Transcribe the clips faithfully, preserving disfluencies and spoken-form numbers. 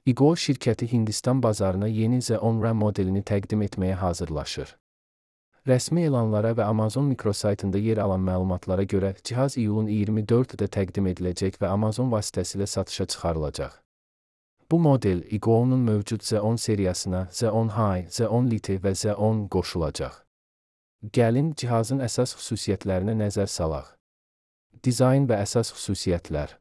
iGo şirkəti Hindistan bazarına yeni Z on RAM modelini təqdim etməyə hazırlaşır. Rəsmi elanlara və Amazon mikrosaytında yer alan məlumatlara görə cihaz iyulun iyirmi dördündə təqdim ediləcək və Amazon vasitəsilə satışa çıxarılacaq. Bu model iGo'nun mövcud Z on seriyasına Z on High, Z on Lite və Z on qoşulacaq. Gəlin cihazın əsas xüsusiyyətlərinə nəzər salaq. Dizayn və əsas xüsusiyyətlər.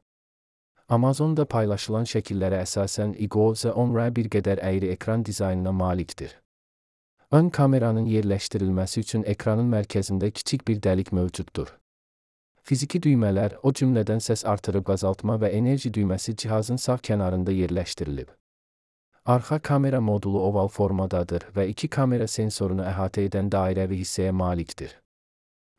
Amazonda paylaşılan şəkillərə əsasən iGo Z on RAM bir qədər əyri ekran dizaynına malikdir. Ön kameranın yerləşdirilməsi üçün ekranın mərkəzində kiçik bir dəlik mövcuddur. Fiziki düymələr, o cümlədən səs artırıb azaltma və enerji düyməsi cihazın sağ kənarında yerləşdirilib. Arxa kamera modulu oval formadadır və iki kamera sensorunu əhatə edən dairəvi hissəyə malikdir.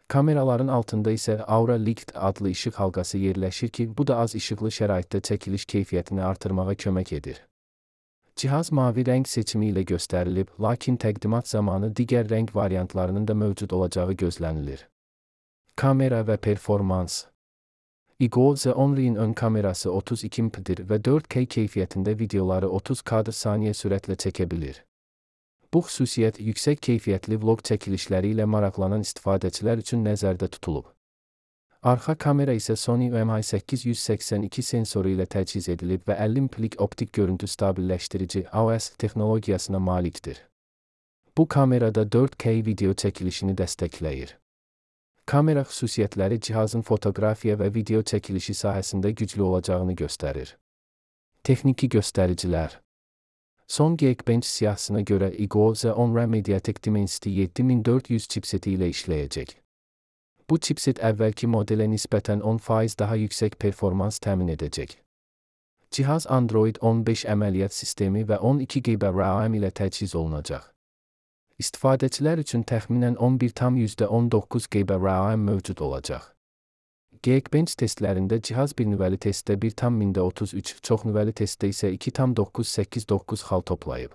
Kameraların altında isə Aura Light adlı işıq halqası yerləşir ki, bu da az işıqlı şəraitdə çəkiliş keyfiyyətini artırmağa kömək edir. Cihaz mavi rəng seçimi ilə göstərilib, lakin təqdimat zamanı digər rəng variantlarının da mövcud olacağı gözlənilir. Kamera və performans. iGo Z on R'in ön kamerası otuz iki megapikseldir və dörd K keyfiyyətində videoları otuz kadr saniyə sürətlə çəkə bilir. Bu xüsusiyyət yüksək keyfiyyətli vlog çəkilişləri ilə maraqlanan istifadəçilər üçün nəzərdə tutulub. Arxa kamera isə Sony U M I səkkiz yüz səksən iki sensoru ilə təchiz edilib və əlli megapiksellik optik görüntü stabilləşdirici A O S texnologiyasına malikdir. Bu kamerada dörd K video çəkilişini dəstəkləyir. Kamera xüsusiyyətləri cihazın fotoqrafiya və video çəkilişi sahəsində güclü olacağını göstərir. Texniki göstəricilər. Son Geekbench siyahısına görə iGo Z on RAM Mediatek Dimensity yeddi min dörd yüz chipseti ilə işləyəcək. Bu chipset əvvəlki modelə nisbətən on faiz daha yüksək performans təmin edəcək. Cihaz Android on beş əməliyyat sistemi və on iki giqabayt RAM ilə təchiz olunacaq. İstifadəçilər üçün təxminən on bir tam yüzdə on doqquz giqabayt RAM mövcud olacaq. Geekbench testlərində cihaz bir nüvəli testdə bir tam mində otuz üç, çox nüvəli testdə isə iki tam doqquz səkkiz doqquz xal toplayıb.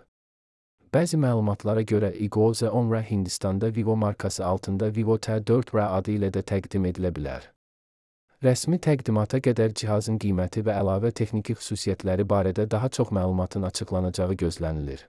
Bəzi məlumatlara görə iGo Z on RAM Hindistanda Vivo markası altında Vivo T dörd R adı ilə də təqdim edilə bilər. Rəsmi təqdimata qədər cihazın qiyməti və əlavə texniki xüsusiyyətləri barədə daha çox məlumatın açıqlanacağı gözlənilir.